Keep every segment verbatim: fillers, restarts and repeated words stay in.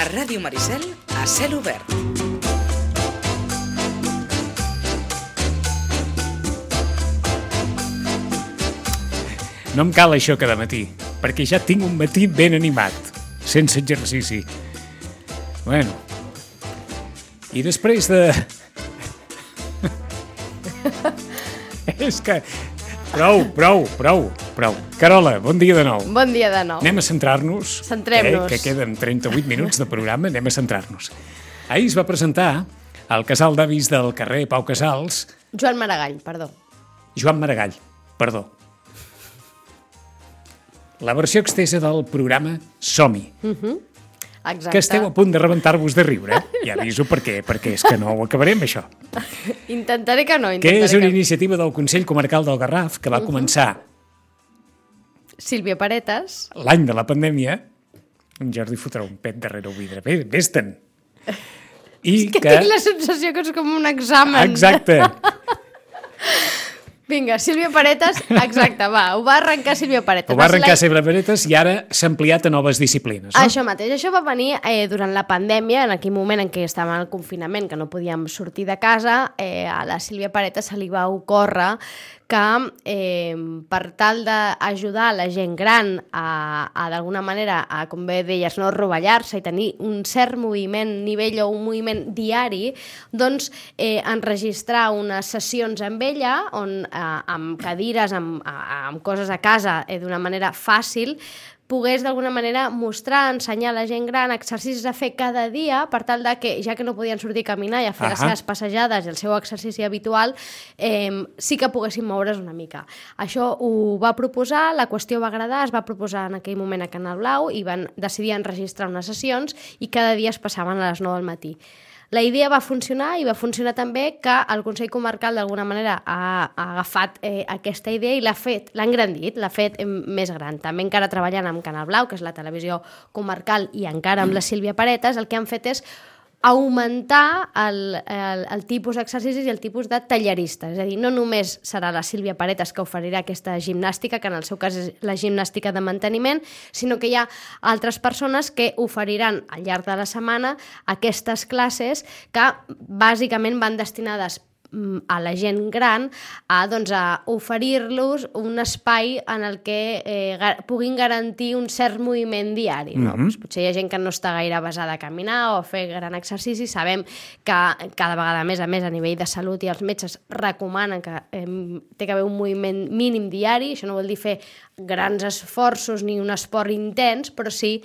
A Ràdio Maricel, a cel obert. No em cal això cada matí, perquè ja tinc un matí ben animat, sense exercici. Bueno, i després de... És que... Prou, prou, prou, prou. Carola, bon dia de nou. Bon dia de nou. Anem a centrar-nos. Centrem-nos. Eh, que queden trenta-vuit minuts de programa, anem a centrar-nos. Ahir es va presentar al casal d'avis del carrer Pau Casals... Joan Maragall, perdó. Joan Maragall, perdó. La versió extesa del programa Som-hi. Uh-huh. Exacte. Que esteu a punt de rebentar-vos de riure. Ja aviso per què, perquè és que no ho acabarem, això. Intentaré que no. Que és una que... iniciativa del Consell Comarcal del Garraf que va uh-huh. començar... Sílvia Paretes. L'any de la pandèmia. En Jordi fotrà un pet darrere el vidre. Bé, vés-te'n. I és que, que tinc la sensació que és com un examen. Exacte. Vinga, Sílvia Paretes, exacte, va, ho va arrencar Sílvia Paretes. Ho va arrencar Sílvia Paretes i ara s'ha ampliat a noves disciplines. No? Això mateix, això va venir eh, durant la pandèmia, en aquell moment en què estàvem al confinament, que no podíem sortir de casa, eh, a la Sílvia Paretes se li va ocórrer que eh, per tal d'ajudar la gent gran a, a d'alguna manera, a, com bé deies, no rovellar-se i tenir un cert moviment, nivell o un moviment diari, doncs eh, enregistrar unes sessions amb ella, on eh, amb cadires, amb, amb coses a casa, eh, d'una manera fàcil, pogués d'alguna manera mostrar, ensenyar a la gent gran exercicis a fer cada dia per tal de que, ja que no podien sortir a caminar i a fer uh-huh. les seves passejades i el seu exercici habitual, eh, sí que poguessin moure's una mica. Això ho va proposar, la qüestió va agradar, es va proposar en aquell moment a Canal Blau i van decidir enregistrar unes sessions i cada dia es passaven a les nou del matí. La idea va funcionar i va funcionar també que el Consell Comarcal d'alguna manera ha, ha agafat eh, aquesta idea i l'ha fet, l'ha engrandit, l'ha fet eh, més gran. També encara treballant amb Canal Blau, que és la televisió comarcal, i encara amb la Sílvia Paretes, el que han fet és augmentar el, el, el tipus d'exercicis i el tipus de tallerista. És a dir, no només serà la Sílvia Paretes que oferirà aquesta gimnàstica, que en el seu cas és la gimnàstica de manteniment, sinó que hi ha altres persones que oferiran al llarg de la setmana aquestes classes que bàsicament van destinades a la gent gran a, doncs, a oferir-los un espai en el que eh, ga- puguin garantir un cert moviment diari. No? Mhm. Pues potser hi ha gent que no està gaire basada a caminar o a fer gran exercici. Sabem que cada vegada més a més a nivell de salut i els metges recomanen que eh, té que haver un moviment mínim diari. Això no vol dir fer grans esforços ni un esport intens, però sí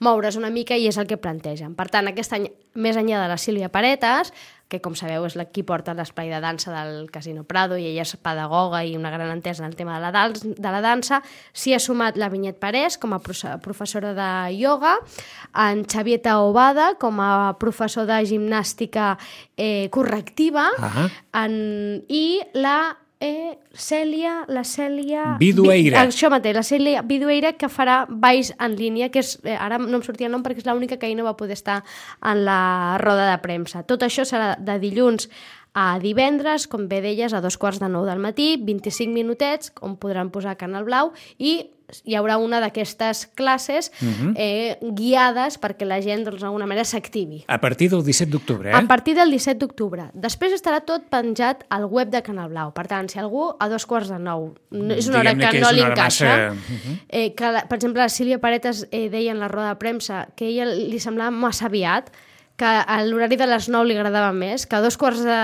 moure's una mica i és el que plantegen. Per tant, aquest any, més enllà de la Sílvia Paretes, que com sabeu és la qui porta l'espai de dansa del Casino Prado i ella és pedagoga i una gran entesa en el tema de la, dans, de la dansa, s'hi ha sumat la Vinyet Parés com a professora de ioga, en Xavier Taobada com a professor de gimnàstica eh, correctiva uh-huh. en, i la Eh, Cèlia, la Cèlia... Vidueira. Vi, això mateix, la Cèlia Vidueira, que farà balls en línia, que és, eh, ara no em sortia el nom perquè és l'única que ahir no va poder estar en la roda de premsa. Tot això serà de dilluns a divendres, com bé deies, a dos quarts de nou del matí, vint-i-cinc minutets, on podran posar Canal Blau, i hi haurà una d'aquestes classes uh-huh. eh, guiades perquè la gent doncs, d'alguna manera s'activi. A partir del disset d'octubre, eh? A partir del disset d'octubre. Després estarà tot penjat al web de Canal Blau. Per tant, si algú a dos quarts de nou no, és una hora Diguem-ne que, que no és li una hora encaixa, massa- Uh-huh. eh, que, la, per exemple, la Sílvia Paretes eh, deia en la roda de premsa que a ella li semblava massa aviat, que a l'horari de les nou li agradava més, que a dos quarts de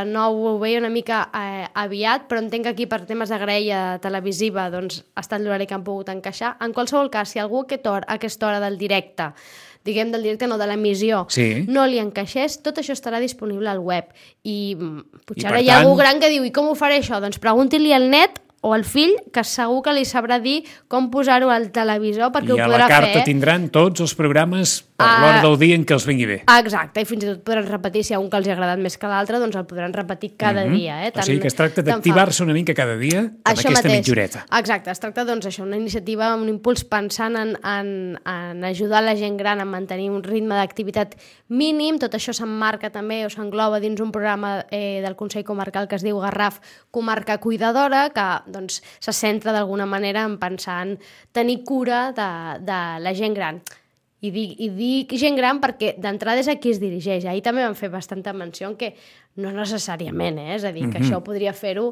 nou ho veia una mica eh, aviat, però entenc que aquí per temes de graella televisiva doncs, ha estat l'horari que han pogut encaixar. En qualsevol cas, si algú a aquesta hora, a aquesta hora del directe, diguem del directe, no de l'emissió, Sí. no li encaixés, tot això estarà disponible al web. I mm, potser I, ara per hi ha tant- algú gran que diu, i com ho faré això? Doncs pregunti-li al net o al fill, que segur que li sabrà dir com posar-ho al televisor perquè I ho a podrà la carta fer. tindran tots els programes per Ah. l'hora del dia en què els vingui bé. Ah, exacte, i fins i tot podran repetir, si hi ha un que els ha agradat més que l'altre, doncs el podran repetir cada Mhm. dia. Eh? O sigui que es tracta tant fa- d'activar-se una mica cada dia amb Això aquesta mateix. mitjoreta. Exacte, es tracta doncs això, una iniciativa, un impuls pensant en, en, en ajudar la gent gran a mantenir un ritme d'activitat mínim. Tot això s'emmarca també o s'engloba dins un programa eh, del Consell Comarcal que es diu Garraf Comarca Cuidadora, que doncs, se centra d'alguna manera en pensar en tenir cura de, de la gent gran. I dic, i dic gent gran perquè d'entrada és a qui es dirigeix. Ahir també vam fer bastanta menció en que no necessàriament, eh? És a dir, que mm-hmm. això podria fer-ho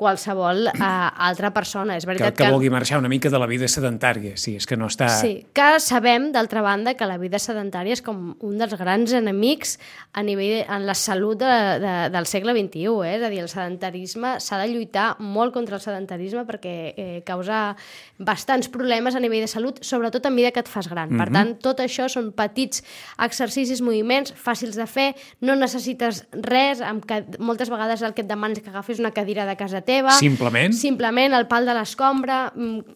qualsevol uh, altra persona. És veritat que, que que vulgui marxar una mica de la vida sedentària, sí, és que no està... Sí, que sabem, d'altra banda, que la vida sedentària és com un dels grans enemics a nivell en la salut de, de, del segle vint-i-u, eh? És a dir, el sedentarisme s'ha de lluitar molt contra el sedentarisme perquè eh, causa bastants problemes a nivell de salut, sobretot a mesura que et fas gran. Mm-hmm. Per tant, tot això són petits exercicis, moviments fàcils de fer, no necessites res, amb que moltes vegades el que et demanes que agafis una cadira de casa teva, simplement simplement el pal de l'escombra,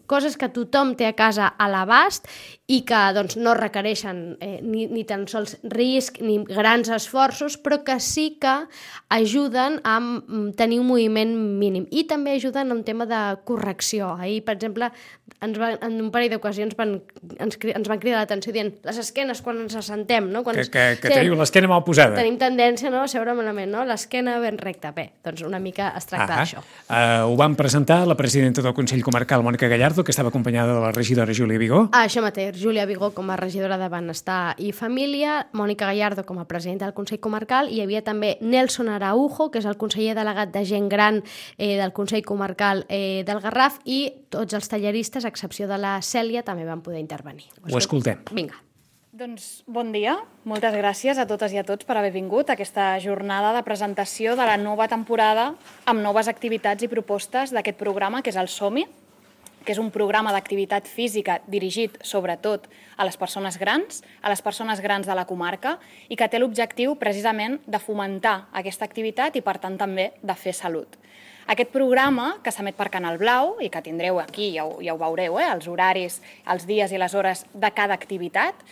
coses que tothom té a casa a l'abast i que doncs, no requereixen eh, ni, ni tan sols risc ni grans esforços, però que sí que ajuden a tenir un moviment mínim i també ajuden a un tema de correcció. Ahir, per exemple, ens va, en un parell d'ocasions van, ens, ens van cridar l'atenció dient les esquenes quan ens assentem, no? Quan que, ens, que, que sí, teniu l'esquena mal posada. Tenim tendència, no?, a seure malament, no? L'esquena ben recta. Bé, doncs una mica es tracta ah, d'això. Uh, ho van presentar la presidenta del Consell Comarcal, Mònica Gallardo, que estava acompanyada de la regidora Júlia Vigó. Ah, això mateix, Júlia Vigó com a regidora de Benestar i Família, Mònica Gallardo com a presidenta del Consell Comarcal, i hi havia també Nelson Araujo, que és el conseller delegat de gent gran eh, del Consell Comarcal eh, del Garraf, i tots els talleristes, a excepció de la Cèlia, també van poder intervenir. Ho escoltem. Vinga. Doncs bon dia, moltes gràcies a totes i a tots per haver vingut a aquesta jornada de presentació de la nova temporada amb noves activitats i propostes d'aquest programa, que és el Som-hi, que és un programa d'activitat física dirigit sobretot a les persones grans, a les persones grans de la comarca, i que té l'objectiu precisament de fomentar aquesta activitat i, per tant, també de fer salut. Aquest programa, que s'emet per Canal Blau i que tindreu aquí, ja ho, ja ho veureu, eh, els horaris, els dies i les hores de cada activitat,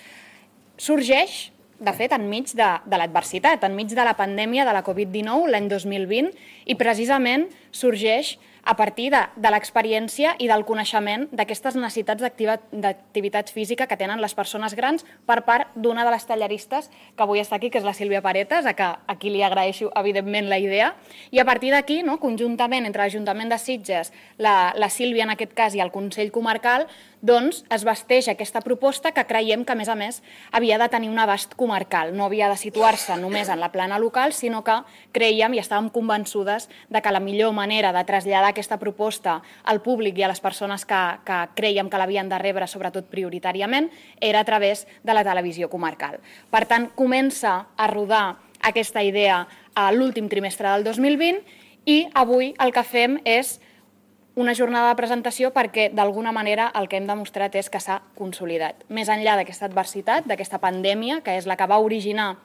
sorgeix, de fet, enmig de, de l'adversitat, enmig de la pandèmia de la Covid dinou, l'any dos mil vint, i precisament sorgeix a partir de, de l'experiència i del coneixement d'aquestes necessitats d'activitat física que tenen les persones grans per part d'una de les talleristes que avui està aquí, que és la Sílvia Paretes, a, que, a qui li agraeixo, evidentment, la idea. I a partir d'aquí, no, conjuntament entre l'Ajuntament de Sitges, la, la Sílvia, en aquest cas, i el Consell Comarcal, doncs es vesteix aquesta proposta que creiem que, a més a més, havia de tenir un abast comarcal. No havia de situar-se només en la plana local, sinó que creiem i estàvem convençudes de que la millor manera de traslladar aquesta proposta al públic i a les persones que, que creiem que l'havien de rebre, sobretot prioritàriament, era a través de la televisió comarcal. Per tant, comença a rodar aquesta idea a l'últim trimestre del dos mil vint i avui el que fem és una jornada de presentació perquè, d'alguna manera, el que hem demostrat és que s'ha consolidat. Més enllà d'aquesta adversitat, d'aquesta pandèmia, que és la que va originar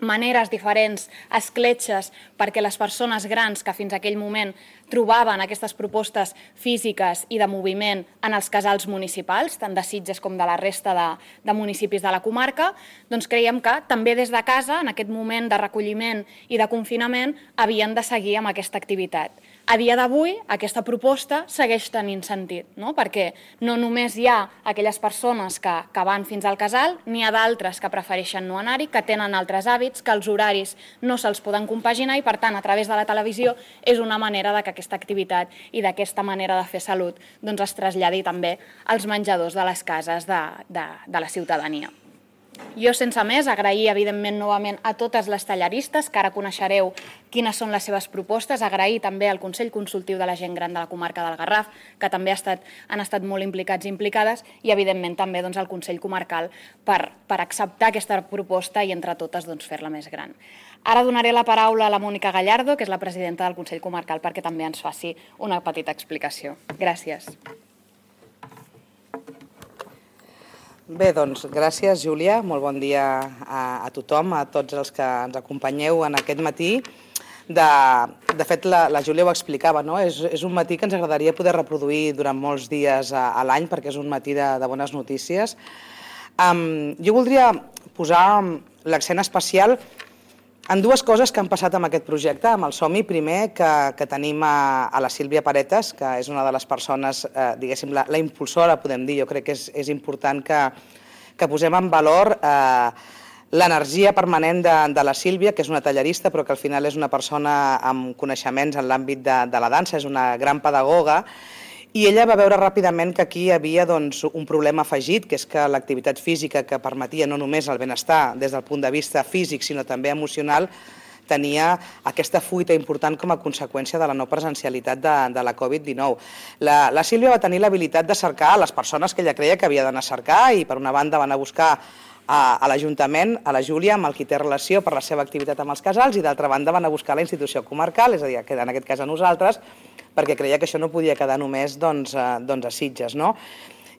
maneres diferents, escletxes, perquè les persones grans que fins a aquell moment trobaven aquestes propostes físiques i de moviment en els casals municipals, tant de Sitges com de la resta de, de municipis de la comarca, doncs creiem que també des de casa, en aquest moment de recolliment i de confinament, havien de seguir amb aquesta activitat. A dia d'avui, aquesta proposta segueix tenint sentit, no? Perquè no només hi ha aquelles persones que, que van fins al casal, n'hi ha d'altres que prefereixen no anar-hi, que tenen altres hàbits, que els horaris no se'ls poden compaginar i, per tant, a través de la televisió és una manera de que aquesta activitat i d'aquesta manera de fer salut doncs, es traslladi també als menjadors de les cases de, de, de la ciutadania. Jo, sense més, agrair, evidentment, novament a totes les talleristes, que ara coneixereu quines són les seves propostes, agrair també al Consell Consultiu de la Gent Gran de la Comarca del Garraf, que també ha estat, han estat molt implicats i implicades, i, evidentment, també doncs, al Consell Comarcal per, per acceptar aquesta proposta i, entre totes, doncs, fer-la més gran. Ara donaré la paraula a la Mònica Gallardo, que és la presidenta del Consell Comarcal, perquè també ens faci una petita explicació. Gràcies. Bé, doncs, gràcies, Júlia. Molt bon dia a, a tothom, a tots els que ens acompanyeu en aquest matí. De, de fet, la, la Júlia ho explicava, no? És, és un matí que ens agradaria poder reproduir durant molts dies a, a l'any, perquè és un matí de, de bones notícies. Um, jo voldria posar l'accent especial en dues coses que han passat amb aquest projecte, amb el Som-hi. Primer, que, que tenim a, a la Sílvia Paretes, que és una de les persones, eh, diguéssim, la, la impulsora, podem dir. Jo crec que és, és important que, que posem en valor eh, l'energia permanent de, de la Sílvia, que és una tallerista, però que al final és una persona amb coneixements en l'àmbit de, de la dansa, és una gran pedagoga, I ella va veure ràpidament que aquí hi havia doncs, un problema afegit, que és que l'activitat física que permetia no només el benestar des del punt de vista físic, sinó també emocional, tenia aquesta fuita important com a conseqüència de la no presencialitat de, de la covid dinou. La, la Sílvia va tenir l'habilitat de cercar les persones que ella creia que havia d'anar a cercar i per una banda van a buscar a, a l'Ajuntament, a la Júlia, amb el qui té relació per la seva activitat amb els casals, i d'altra banda van a buscar la institució comarcal, és a dir, en aquest cas a nosaltres, perquè creia que això no podia quedar només doncs, doncs a Sitges. No?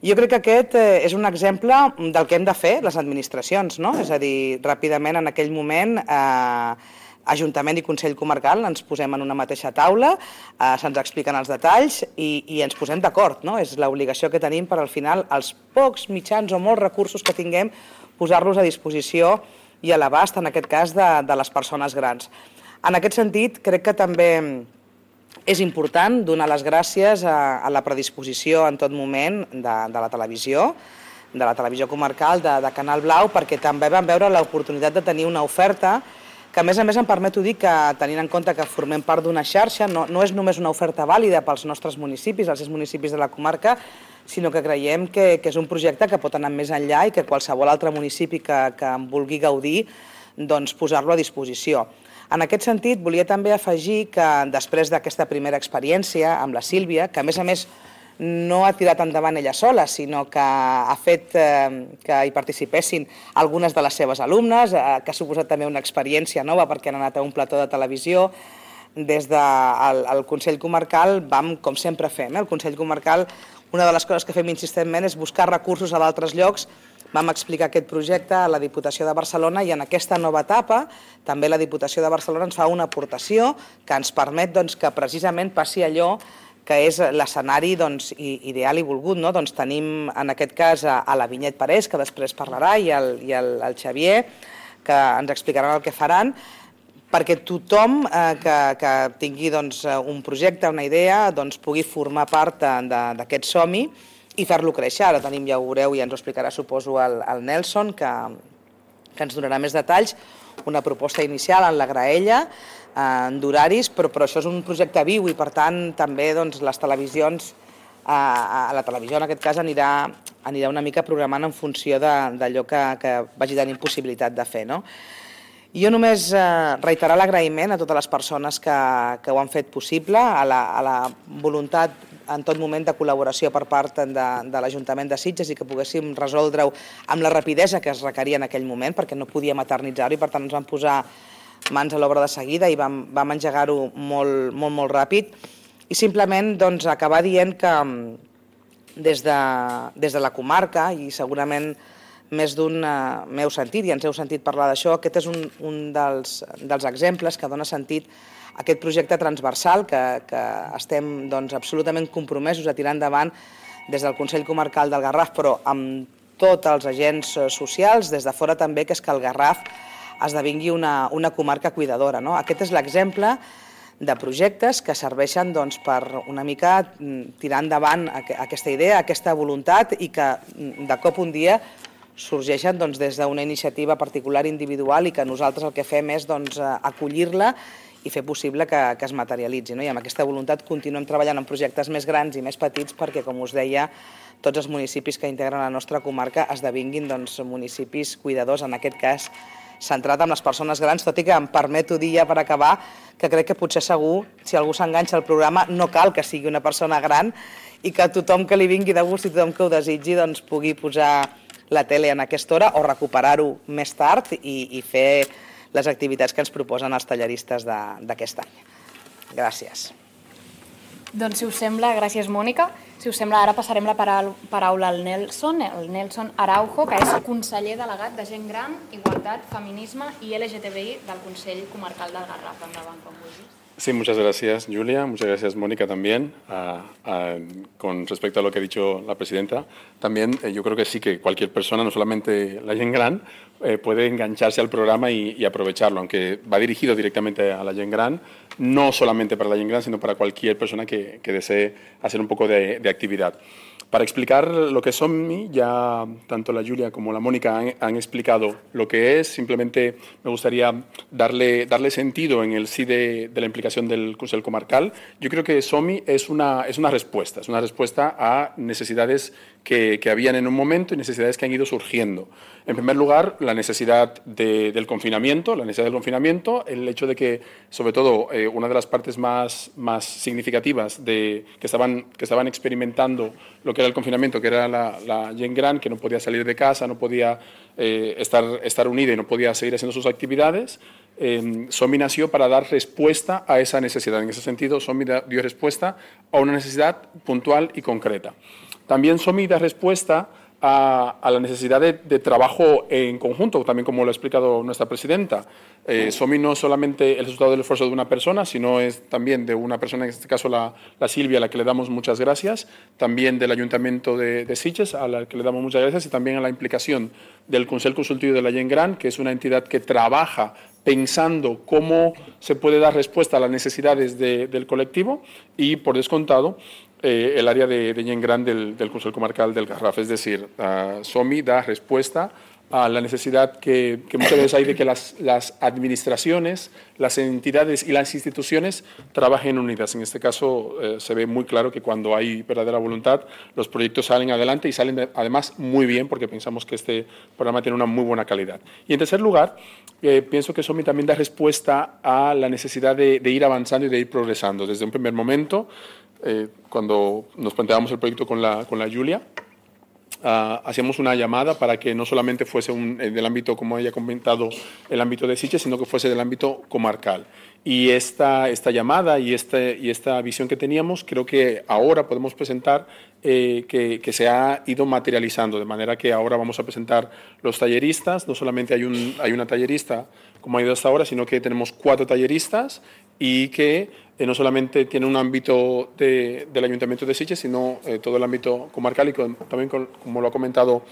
Jo crec que aquest és un exemple del que hem de fer les administracions, no? És a dir, ràpidament en aquell moment eh, Ajuntament i Consell Comarcal ens posem en una mateixa taula, eh, se'ns expliquen els detalls i, i ens posem d'acord. No? És l'obligació que tenim per al final els pocs mitjans o molts recursos que tinguem posar-los a disposició i a l'abast, en aquest cas, de, de les persones grans. En aquest sentit, crec que també és important donar les gràcies a, a la predisposició en tot moment de, de la televisió, de la televisió comarcal, de, de Canal Blau, perquè també vam veure l'oportunitat de tenir una oferta que, a més a més, em permeto dir que, tenint en compte que formem part d'una xarxa, no, no és només una oferta vàlida pels nostres municipis, els sis municipis de la comarca, sinó que creiem que, que és un projecte que pot anar més enllà i que qualsevol altre municipi que, que en vulgui gaudir, doncs posar-lo a disposició. En aquest sentit, volia també afegir que després d'aquesta primera experiència amb la Sílvia, que a més a més no ha tirat endavant ella sola, sinó que ha fet eh, que hi participessin algunes de les seves alumnes, eh, que ha suposat també una experiència nova perquè han anat a un plató de televisió. Des del el Consell Comarcal vam, com sempre fem, eh? el Consell Comarcal, una de les coses que fem insistentment és buscar recursos a d'altres llocs. Vam explicar aquest projecte a la Diputació de Barcelona i en aquesta nova etapa també la Diputació de Barcelona ens fa una aportació que ens permet doncs, que precisament passi allò que és l'escenari doncs, ideal i volgut. No? Doncs tenim en aquest cas a, a la Vinyet Parés, que després parlarà, i el, i el, el Xavier, que ens explicaran el que faran, perquè tothom eh, que, que tingui doncs, un projecte, una idea, doncs, pugui formar part d'aquest somni i fer-lo créixer. Ara tenim, ja ho veureu, i ens ho explicarà, suposo, el, el Nelson, que, que ens donarà més detalls, una proposta inicial en la graella, eh, d'horaris, però, però això és un projecte viu i, per tant, també doncs, les televisions, eh, a la televisió en aquest cas anirà, anirà una mica programant en funció d'allò que, que vagi tenint possibilitat de fer. No? Jo només eh, reiterar l'agraïment a totes les persones que, que ho han fet possible, a la, a la voluntat en tot moment de col·laboració per part de, de l'Ajuntament de Sitges i que poguéssim resoldre-ho amb la rapidesa que es requeria en aquell moment, perquè no podíem eternitzar-ho i per tant ens vam posar mans a l'obra de seguida i vam, vam engegar-ho molt, molt, molt ràpid. I simplement doncs, acabar dient que des de, des de la comarca, i segurament més d'un uh, m'heu sentit i ens heu sentit parlar d'això, aquest és un, un dels, dels exemples que dona sentit a aquest projecte transversal que, que estem doncs, absolutament compromesos a tirar endavant des del Consell Comarcal del Garraf, però amb tots els agents socials, des de fora també, que és que el Garraf esdevingui una, una comarca cuidadora. No? Aquest és l'exemple de projectes que serveixen doncs, per una mica tirar endavant aquesta idea, aquesta voluntat i que de cop un dia sorgeixen doncs, des d'una iniciativa particular individual i que nosaltres el que fem és doncs, acollir-la i fer possible que, que es materialitzi. No? I amb aquesta voluntat continuem treballant en projectes més grans i més petits perquè, com us deia, tots els municipis que integren la nostra comarca esdevinguin doncs, municipis cuidadors, en aquest cas centrat en les persones grans, tot i que em permeto dir ja per acabar que crec que potser segur, si algú s'enganxa al programa, no cal que sigui una persona gran i que tothom que li vingui de gust i tothom que ho desitgi doncs, pugui posar la tele en aquesta hora o recuperar-ho més tard i, i fer les activitats que ens proposen els talleristes d'aquest any. Gràcies. Doncs, si us sembla, gràcies, Mònica. Si us sembla, ara passarem la paraula al Nelson, el Nelson Araujo, que és conseller delegat de Gent Gran, Igualtat, Feminisme i L G T B I del Consell Comarcal del Garraf. Endavant, com vulguis. Sí, muchas gracias, Julia. Muchas gracias, Mónica, también. Uh, uh, con respecto a lo que ha dicho la presidenta, también eh, yo creo que sí que cualquier persona, no solamente la Gent Gran, eh, puede engancharse al programa y, y aprovecharlo, aunque va dirigido directamente a la Gent Gran, no solamente para la Gent Gran, sino para cualquier persona que, que desee hacer un poco de, de actividad. Para explicar lo que es SOMI, ya tanto la Julia como la Mónica han, han explicado lo que es. Simplemente me gustaría darle, darle sentido en el sí de, de la implicación del Consell Comarcal. Yo creo que SOMI es una, es una respuesta, es una respuesta a necesidades que, que habían en un momento y necesidades que han ido surgiendo. En primer lugar, la necesidad de, del confinamiento, la necesidad del confinamiento, el hecho de que, sobre todo, eh, una de las partes más, más significativas de, que, estaban, que estaban experimentando lo que era el confinamiento, que era la, la gent gran, que no podía salir de casa, no podía eh, estar, estar unida y no podía seguir haciendo sus actividades, eh, SOMI nació para dar respuesta a esa necesidad. En ese sentido, SOMI da, dio respuesta a una necesidad puntual y concreta. También SOMI da respuesta a, a la necesidad de, de trabajo en conjunto, también como lo ha explicado nuestra presidenta. Eh, SOMI no es solamente el resultado del esfuerzo de una persona, sino es también de una persona, en este caso la, la Silvia, a la que le damos muchas gracias, también del Ayuntamiento de, de Sitges, a la que le damos muchas gracias, y también a la implicación del Consell Consultiu de la Gent Gran, que es una entidad que trabaja pensando cómo se puede dar respuesta a las necesidades de, del colectivo y, por descontado, eh, el área de, de Gent Gran del, del Consell Comarcal del Garraf. Es decir, uh, SOMI da respuesta a la necesidad que, que muchas veces hay de que las, las administraciones, las entidades y las instituciones trabajen unidas. En este caso eh, se ve muy claro que cuando hay verdadera voluntad los proyectos salen adelante y salen de, además muy bien, porque pensamos que este programa tiene una muy buena calidad. Y en tercer lugar, eh, pienso que SOMI también da respuesta a la necesidad de, de ir avanzando y de ir progresando. Desde un primer momento, eh, cuando nos planteábamos el proyecto con la, con la Julia, Uh, hacíamos una llamada para que no solamente fuese un, eh, del ámbito, como ella ha comentado, el ámbito de Sitges, sino que fuese del ámbito comarcal. Y esta, esta llamada y, este, y esta visión que teníamos, creo que ahora podemos presentar eh, que, que se ha ido materializando, de manera que ahora vamos a presentar los talleristas. No solamente hay, un, hay una tallerista, como ha ido hasta ahora, sino que tenemos cuatro talleristas y que eh, no solamente tiene un ámbito de, del Ayuntamiento de Sitges, sino eh, todo el ámbito comarcal y con, también, con, como lo ha comentado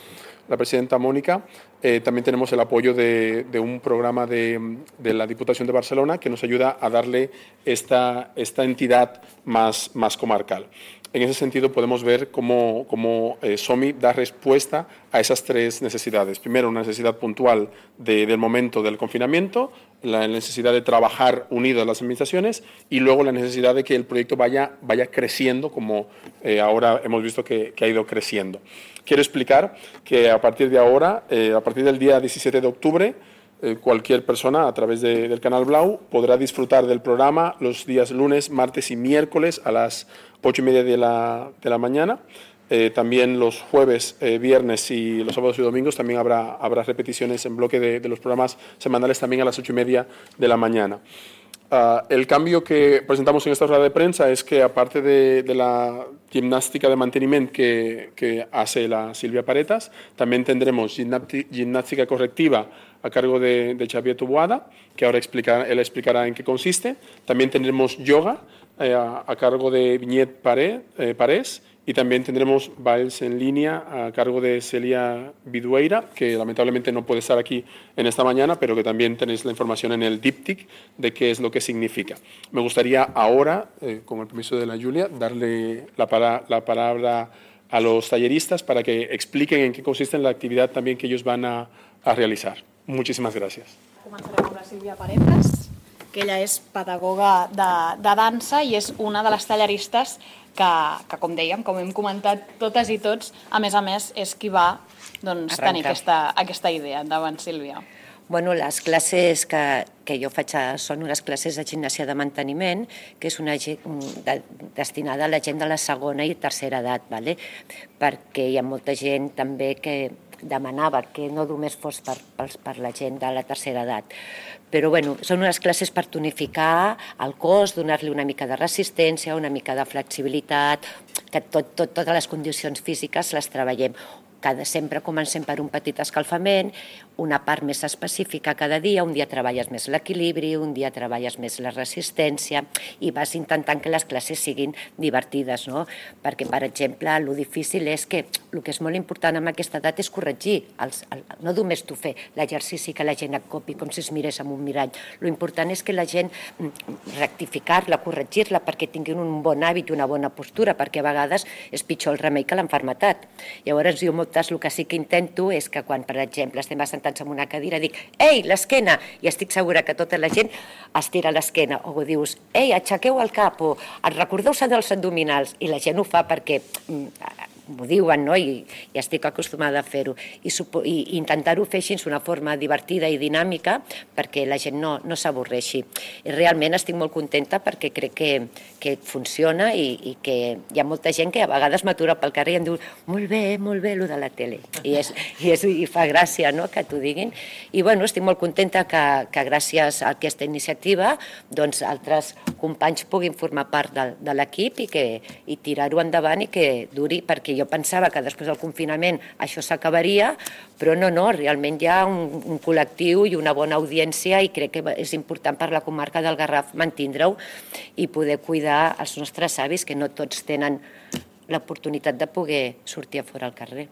la presidenta Mónica, eh, también tenemos el apoyo de, de un programa de, de la Diputación de Barcelona que nos ayuda a darle esta, esta entidad más, más comarcal. En ese sentido podemos ver cómo, cómo eh, SOMI da respuesta a esas tres necesidades. Primero, una necesidad puntual de, del momento del confinamiento, la necesidad de trabajar unidas las administraciones y luego la necesidad de que el proyecto vaya, vaya creciendo como eh, ahora hemos visto que, que ha ido creciendo. Quiero explicar que a partir de ahora, eh, a partir del día diecisiete de octubre, eh, cualquier persona a través de, del Canal Blau podrá disfrutar del programa los días lunes, martes y miércoles a las ocho y media de la, de la mañana. Eh, también los jueves, eh, viernes y los sábados y domingos también habrá, habrá repeticiones en bloque de, de los programas semanales también a las ocho y media de la mañana. Uh, el cambio que presentamos en esta rueda de prensa es que, aparte de, de la gimnástica de mantenimiento que, que hace la Silvia Paretas, también tendremos gimnástica correctiva a cargo de, de Xavier Tubuada, que ahora explica, él explicará en qué consiste. También tendremos yoga eh, a, a cargo de Viñet Paré, eh, Parés, y también tendremos bailes en línea a cargo de Celia Vidueira, que lamentablemente no puede estar aquí en esta mañana, pero que también tenéis la información en el díptic de qué es lo que significa. Me gustaría ahora, eh, con el permiso de la Julia, darle la, para, la palabra a los talleristas para que expliquen en qué consiste la actividad también que ellos van a, a realizar. Muchísimas gracias. Començarem amb la Sílvia Paretas, que ella és pedagoga de, de dansa i és una de les talleristes que, que, com dèiem, com hem comentat totes i tots, a més a més, és qui va doncs, tenir aquesta, aquesta idea. Endavant, Sílvia. Bueno, les classes que, que jo faig són unes classes de gimnàsia de manteniment, que és una de, destinada a la gent de la segona i tercera edat, ¿vale? Perquè hi ha molta gent també que demanava que no només fos per, per, per la gent de la tercera edat. Però bueno, són unes classes per tonificar el cos, donar-li una mica de resistència, una mica de flexibilitat, que tot, tot, totes les condicions físiques les treballem. cada, sempre comencem per un petit escalfament, una part més específica cada dia, un dia treballes més l'equilibri, un dia treballes més la resistència i vas intentant que les classes siguin divertides, no? Perquè, per exemple, el difícil és que el que és molt important en aquesta edat és corregir, els, el, no només tu fer l'exercici que la gent et copi com si es mirés en un mirall. Lo important és que la gent rectificar-la, corregir-la perquè tinguin un bon hàbit i una bona postura, perquè a vegades és pitjor el remei que l'enfermetat. Llavors, jo moltes el que sí que intento és que quan, per exemple, estem assentats en una cadira, dic, ei, l'esquena, i estic segura que tota la gent estira l'esquena, o dius, ei, aixequeu el cap, o recordeu-se dels abdominals, i la gent ho fa perquè m'ho diuen, no? I, i estic acostumada a fer-ho. I, i intentar-ho fer així d'una forma divertida i dinàmica perquè la gent no, no s'avorreixi. I realment estic molt contenta perquè crec que, que funciona i, i que hi ha molta gent que a vegades m'atura pel carrer i em diu molt bé, molt bé, allò de la tele. I, és, i, és, i fa gràcia, no?, que t'ho diguin. I bueno, estic molt contenta que, que gràcies a aquesta iniciativa doncs, altres companys puguin formar part de, de l'equip i, que, i tirar-ho endavant i que duri, perquè jo pensava que després del confinament això s'acabaria, però no, no, realment hi ha un, un col·lectiu i una bona audiència i crec que és important per la comarca del Garraf mantindre-ho i poder cuidar els nostres avis, que no tots tenen l'oportunitat de poder sortir a fora al carrer.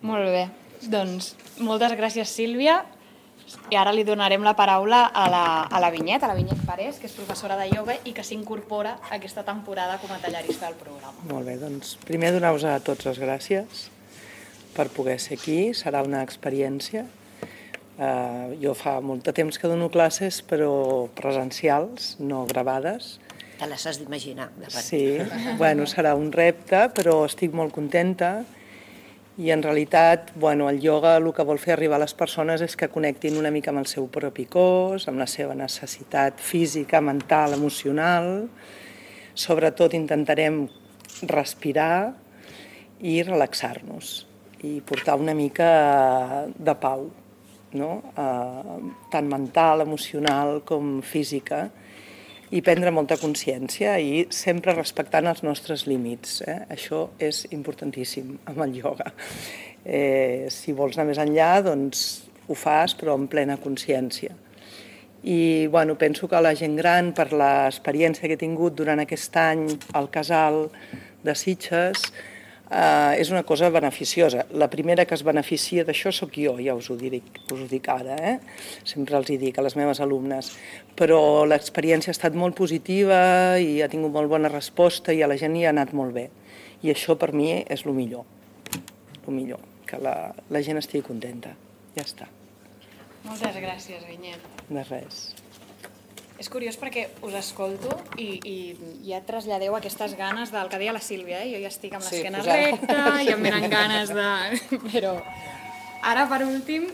Molt bé, doncs moltes gràcies, Sílvia. I ara li donarem la paraula a la, a la Vinyet, a la Vinyet Parés, que és professora de ioga i que s'incorpora aquesta temporada com a tallarista del programa. Molt bé, doncs primer donar-vos a tots les gràcies per poder ser aquí. Serà una experiència. Uh, jo fa molt de temps que dono classes, però presencials, no gravades. Te les has d'imaginar. Sí, bueno, serà un repte, però estic molt contenta. I en realitat, bueno, el ioga el que vol fer arribar a les persones és que connectin una mica amb el seu propi cos, amb la seva necessitat física, mental, emocional. Sobretot intentarem respirar i relaxar-nos i portar una mica de pau, no? Eh, tant mental, emocional com física, i prendre molta consciència i sempre respectant els nostres límits. Eh? Això és importantíssim amb el ioga. Eh, si vols anar més enllà, doncs ho fas, però amb plena consciència. I bueno, penso que la gent gran, per l'experiència que he tingut durant aquest any al casal de Sitges, Uh, és una cosa beneficiosa. La primera que es beneficia d'això sóc jo, ja us ho dic, us ho dic ara, eh? Sempre els hi dic a les meves alumnes, però l'experiència ha estat molt positiva i ha tingut molt bona resposta i a la gent hi ha anat molt bé. I això per mi és el millor, el millor, que la, la gent estigui contenta. Ja està. Moltes gràcies, Vinyet. De res. És curiós perquè us escolto i, i ja traslladeu aquestes ganes del que deia la Sílvia, eh? Jo ja estic amb l'esquena sí, recta i em venen ganes de... Però ara, per últim,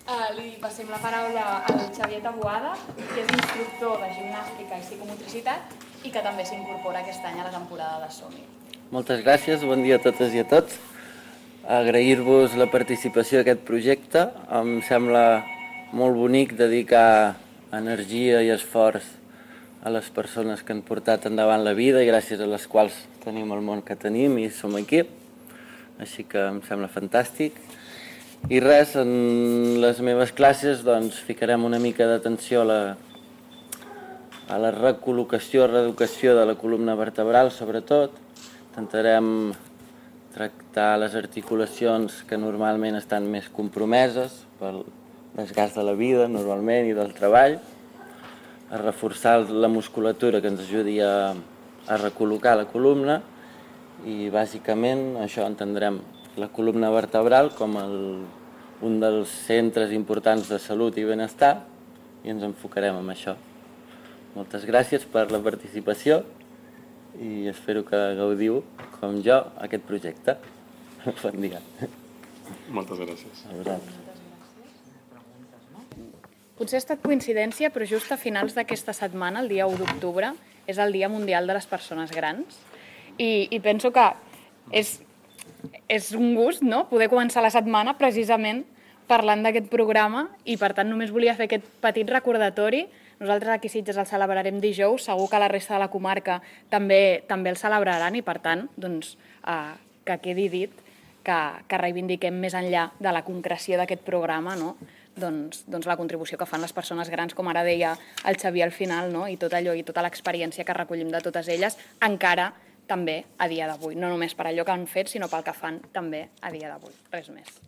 eh, li passem la paraula al Xavier Taboada, que és instructor de gimnàstica i psicomotricitat i que també s'incorpora aquest any a la temporada de Som-hi. Moltes gràcies, bon dia a totes i a tots. Agrair-vos la participació d'aquest projecte. Em sembla molt bonic dedicar energia i esforç a les persones que han portat endavant la vida i gràcies a les quals tenim el món que tenim i som aquí. Així que em sembla fantàstic. I res, en les meves classes doncs, ficarem una mica d'atenció a la, a la recol·locació, reeducació de la columna vertebral, sobretot. Intentarem tractar les articulacions que normalment estan més compromeses pel desgast de la vida, normalment, i del treball, a reforçar la musculatura que ens ajudi a, a recol·locar la columna i, bàsicament, això entendrem la columna vertebral com el, un dels centres importants de salut i benestar i ens enfocarem en això. Moltes gràcies per la participació i espero que gaudiu, com jo, aquest projecte. Bon dia. Moltes gràcies. A vosaltres. Potser ha estat coincidència, però just a finals d'aquesta setmana, el dia u d'octubre, és el Dia Mundial de les Persones Grans. I, i penso que és, és un gust, no?, poder començar la setmana precisament parlant d'aquest programa i, per tant, només volia fer aquest petit recordatori. Nosaltres aquí a Sitges el celebrarem dijous, segur que la resta de la comarca també, també el celebraran i, per tant, doncs, eh, que quedi dit que, que reivindiquem més enllà de la concreció d'aquest programa, no? doncs, doncs la contribució que fan les persones grans, com ara deia el Xavier al final, no? I tot allò i tota l'experiència que recollim de totes elles, encara també a dia d'avui. No només per allò que han fet, sinó pel que fan també a dia d'avui. Res més.